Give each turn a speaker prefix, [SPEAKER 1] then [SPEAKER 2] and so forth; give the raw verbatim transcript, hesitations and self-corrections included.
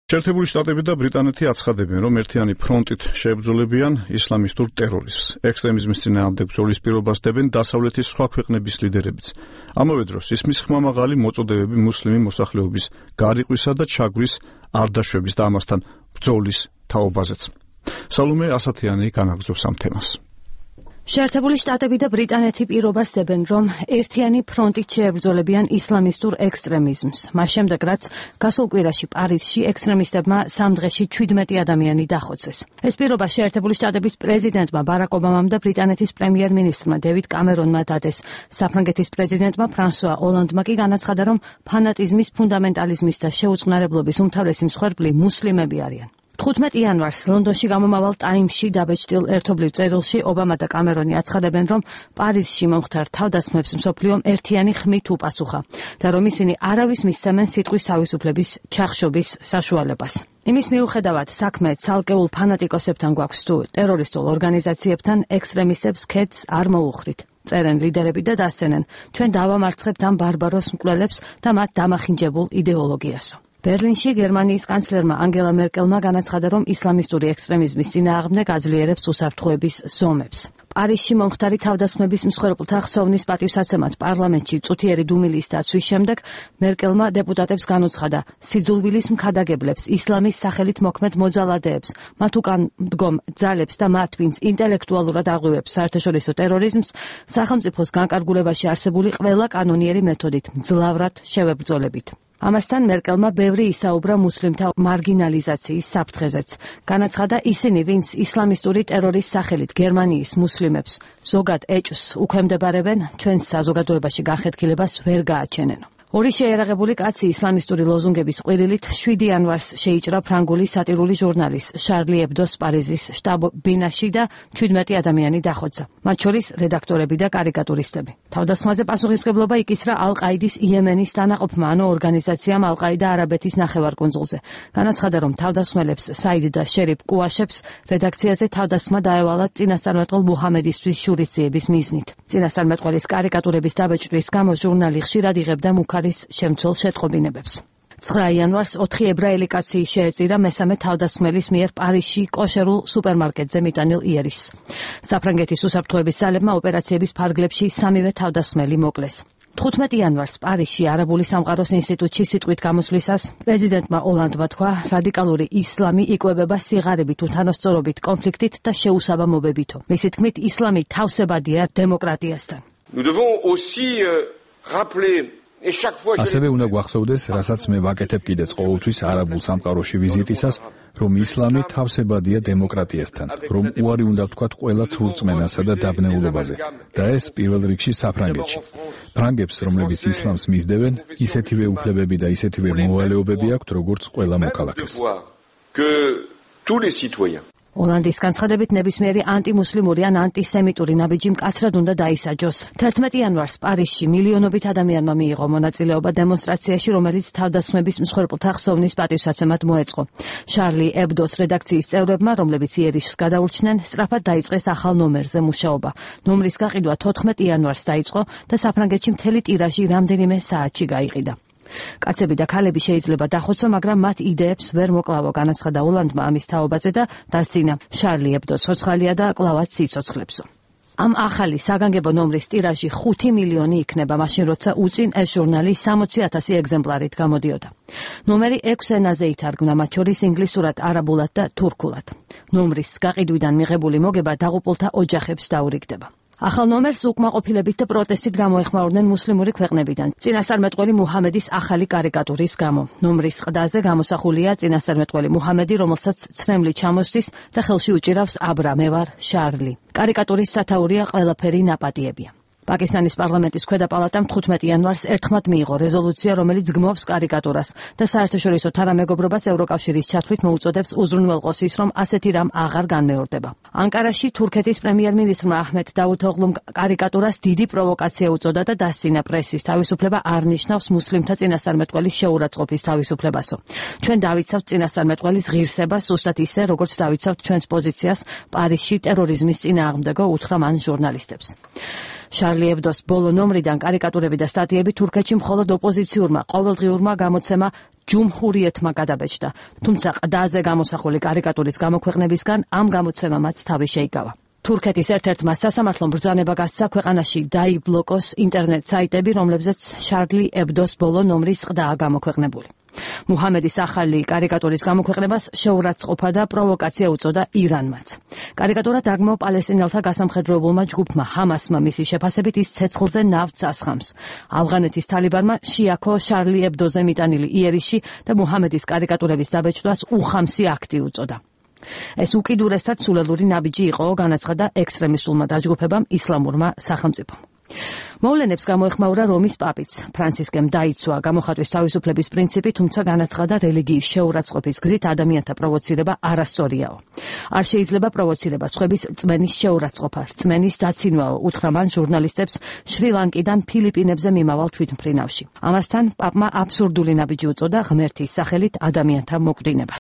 [SPEAKER 1] შეერთებული შტატები და ბრიტანეთი აცხადებენ, რომ ერთიანი ფრონტით შეებრძოლებიან ისლამისტურ ტერორიზმს. ექსტრემიზმის წინააღმდეგ ბრძოლის პირობას დებენ დასავლეთის სხვა ქვეყნების ლიდერებიც. ამავე დროს ისმის ხმამაღალი მოწოდებები მუსლიმი მოსახლეობის გარიყვისა და ჩაგვრის არ დაშვების და ამასთან ბრძოლის თაობაზეც. სალომე ასათიანი განაგრძობს ამ თემას.
[SPEAKER 2] შეერთებული შტატები და ბრიტანეთი პირობას დებენ, რომ ერთიანი ფრონტით შეებრძოლებიან ისლამისტურ ექსტრემიზმს. მას შემდეგ, რაც გასულ კვირაში პარიზში ექსტრემისტებმა სამ დღეში ჩვიდმეტი ადამიანი დახოცეს. ეს პირობა შეერთებული შტატების პრეზიდენტმა ბარაკ ობამამ და ბრიტანეთის პრემიერ-მინისტრმა დევიდ კამერონმა დადეს. საფრანგეთის პრეზიდენტმა ფრანსუა ოლანდმა კი განაცხადა, რომ ფანატიზმის, ფუნდამენტალიზმის და შეუწყნარებლობის უმთავრესი მსხვერპლი მუსლიმები არიან. თხუთმეტი იანვარს ლონდონში გამომავალ ტაიმსში დაბეჭდილ ერთობლივ წერილში ობამა და კამერონი აცხადებენ, რომ პარიზში მომხდარ თავდასხმებს მსოფლიომ ერთიანი ხმით უპასუხა და რომ ისინი არავის მისცემენ სიტყვის თავისუფლების ჩახშობის საშუალებას. იმის მიუხედავად საქმე ცალკეულ ფანატიკოსებთან გვაქვს თუ ტერორისტულ ორგანიზაციებთან, ექსტრემისტებს ქედს არ მოუხდით. წერენ ლიდერები და დასცენენ, ჩვენ დავამარცხებთ ამ ბარბაროს მკვლელებს და მათ დამახინჯებულ იდეოლოგიასო. ბერლინში გერმანიის კანცლერმა ანგელა მერკელმა განაცხადა, რომ ისლამისტური ექსტრემიზმის წინააღმდეგ აძლიერებს უსაფრთხოების ზომებს. პარიზში მომხდარი თავდასხმების მსხვერპლთა ხსოვნის პატივსაცემად პარლამენტში წუთიერი დუმილის დაცვის შემდეგ მერკელმა დეპუტატებს განუცხადა, სიძულვილის მქადაგებლებს, ისლამის სახელით მოქმედ მოძალადეებს, მათ უკან მდგომ ძალებს და მათ, ვინც ინტელექტუალურად აღვივებს საერთაშორისო ტერორიზმს, სახელმწიფოს განკარგულებაში არსებული ყველა კანონიერი მეთოდით მძლავრად შევებრძოლებით. ამასთან მერკელმა ბევრი ისაუბრა მუსლიმთა მარგინალიზაციის საფრთხეზეც. განაცხადა, ისინი, ვინც ისლამისტური ტერორის სახელით გერმანიის მუსლიმებს ზოგად ეჭვს უქვემდებარებენ, ჩვენს საზოგადოებაში განხეთქილებას ვერ გააჩენენო. ორი შეერაღებული კაცი ისლამისტური ლოზუნგების ყვირილით შვიდი იანვარს შეიჭრა ფრანგული სატირული ჟურნალის შარლი ებდოს პარიზის შტაბ-ბინაში და ჩვიდმეტი ადამიანი დახოცა, მათ შორის რედაქტორები და კარიკატურისტები. თავდასხმაზე პასუხისმგებლობა იკისრა ალ-ყაიდის იემენის დანაყოფმა, ანუ ორგანიზაციამ ალ-ყაიდა არაბეთის ნახევარკუნძულზე. განაცხადა, რომ თავდასხმელებს საიდ და შერიფ კუაშებს რედაქციაზე თავდასხმა დაევალა წინასწარმეტყველ მუჰამედისთვის შურისძიების მიზნით. წინასწარმეტყველის კარიკატურების დაბეჭდვის გამო ჟურნალი ხშირად იღებდა მუქ არის შემცველ შეტყობინებებს. ცხრა იანვარს ოთხი ებრაელი კაცი შეეწირა მესამე თავდასხმელის მიერ პარიზში კოშერულ სუპერმარკეტზე მიტანილ იერიშს. საფრანგეთის უსაფრთხოების ძალებმა ოპერაციების ფარგლებში სამივე თავდასხმელი მოკლეს. თხუთმეტი იანვარს პარიზში არაბული სამყაროს ინსტიტუტში სიტყვით გამოსვლისას პრეზიდენტმა ოლანდმა თქვა, რადიკალური ისლამი იკვებება სიღარიბით, უთანასწორობით, კონფლიქტით და შეუსაბამობებითო. მისი თქმით, ისლამი თავსებადია დემოკრატიასთან.
[SPEAKER 3] Nous devons aussi rappeler
[SPEAKER 4] ასევე უნდა გვახსოვდეს, რასაც მე ვაკეთებ კიდეც ყოველთვის არაბულ სამყაროში ვიზიტისას, რომ ისლამი თავსებადია დემოკრატიასთან, რომ უარი უნდა ვთქვათ ყველა ცურწმენასა და დაბნეულობაზე, და ეს პირველ რიგში საფრანგეთში. ფრანგებს, რომლებიც ისლამს მისდევენ, ისეთივე უფლებები და ისეთივე მოვალეობები აქვთ, როგორც ყველა მოქალაქეს.
[SPEAKER 2] ოლანდის განცხადებით ნებისმიერი ანტიმუსლიმური ან ანტისემიტური ნაბიჯი მკაცრად უნდა დაისაჯოს. თერთმეტი იანვარს პარიზში მილიონობით ადამიანმა მიიღო მონაწილეობა დემონსტრაციაში, რომელიც თავდასხმების მსხვერპლთა ხსოვნის პატივსაცემად მოეწყო. შარლი ებდოს რედაქციის წევრებმა, რომლებიც იერიშს გადაურჩნენ, სწრაფად დაიწყეს ახალ ნომერზე მუშაობა. ნომრის გაყიდვა თოთხმეტი იანვარს დაიწყო და საფრანგეთში მთელი ტირაჟი რამდენიმე საათში გაიყიდა. კაცები და ქალები შეიძლება დახოცო, მაგრამ მათ იდეებს ვერ მოკლავო, განაცხადა ოლანდმა ამის თაობაზე და დასძინა, შარლი ებდო ცოცხალია და კლავაც სიცოცხლებსო. ამ ახალი საგანგებო ნომრის ტირაჟი ხუთი მილიონი იქნება, მაშინ როცა უწინ ეს ჟურნალი სამოცი ათასი ეგზემპლარით გამოდიოდა. ნომერი ექვს ენაზე ითარგმნა, მათ შორის ინგლისურად, არაბულად და თურქულად. ნომრის გაყიდვიდან მიღებული მოგება დაღუპულთა ოჯახებს დაურიგდება. ახალ ნომერს უკმაყოფილებით და პროტესტით გამოეხმაურნენ მუსლიმური ქვეყნებიდან. წინასწარმეტყველი მუჰამედის ახალი კარიკატურის გამო. ნომრის ყდაზე გამოსახულია წინასწარმეტყველი მუჰამედი, რომელსაც ცრემლი ჩამოსდის და ხელში უჭირავს აბრა, მე ვარ შარლი. კარიკატურის სათაურია ყველაფერი ნაპატიებია. პაკისტანის პარლამენტის ქვედა პალატამ თხუთმეტი იანვარს ერთხმად მიიღო რეზოლუცია, რომელიც გმობს კარიკატურას და საერთაშორისო თანამეგობრობას ევროკავშირის ჩათვლით მოუწოდებს უზრუნველყოს ის, რომ ასეთი რამ აღარ განმეორდება. ანკარაში თურქეთის პრემიერ-მინისტრმა აჰმედ დავუთოღლუმ კარიკატურას დიდი პროვოკაცია უწოდა და დასცინა პრესის თავისუფლება არ ნიშნავს მუსლიმთა წინასწარმეტყველის შეურაცხყოფის თავისუფლებასო. ჩვენ დავიცავთ წინასწარმეტყველის ღირსებას, ზუსტად ისე, როგორც დავიცავთ ჩვენს პოზიციას პარიზში ტერორიზმის წინააღმდეგო, უთხრა მან ჟურნალისტებს. შარლი ებდოს ბოლო ნომრიდან კარიკატურები და სტატიები თურქეთში მხოლოდ ოპოზიციურმა ყოველდღიურმა გამოცემა ჯუმჰურიეთმა გადაბეჭდა, თუმცა ყდაზე გამოსახული კარიკატურის გამოქვეყნებისგან ამ გამოცემამაც თავი შეიკავა. თურქეთის ერთ-ერთმა სასამართლომ ბრძანება გასცა ქვეყანაში დაიბლოკოს ინტერნეტ საიტები, რომლებზეც შარლი ებდოს ბოლო ნომრის ყდაა გამოქვეყნებული. მუჰამედის ახალი კარიკატურის გამოქვეყნებას შეურაცხყოფა და პროვოკაცია უწოდა ირანმაც. კარიკატურა დაგმო პალესტინელთა გასამხედროებულმა ჯგუფმა ჰამასმა მისი შეფასებით ის ცეცხლზე ნავთს ასხამს. ავღანეთის თალიბანმა შეაქო შარლი ებდოზე მიტანილი იერიში და მუჰამედის კარიკატურების დაბეჭდვას უხამსი აქტი უწოდა. ეს უკიდურესად სულელური ნაბიჯი იყო, განაცხადა ექსტრემისტულმა დაჯგუფებამ ისლამურმა სახელმწიფომ. მოვლენებს გამოეხმაურა რომის პაპიც. ფრანცისკემ დაიცვა გამოხატვის თავისუფლების პრინციპი, თუმცა განაცხადა რელიგიის შეურაცხყოფის გზით ადამიანთა პროვოცირება არასწორიაო. არ შეიძლება პროვოცირება სხვების რწმენის შეურაცხყოფა, რწმენის დაცინვაო, უთხრა მან ჟურნალისტებს შრი-ლანკიდან ფილიპინებზე მიმავალ თვითმფრინავში. ამასთან პაპმა აბსურდული ნაბიჯი უწოდა ღმერთის სახელით ადამიანთა მოკვდინებას.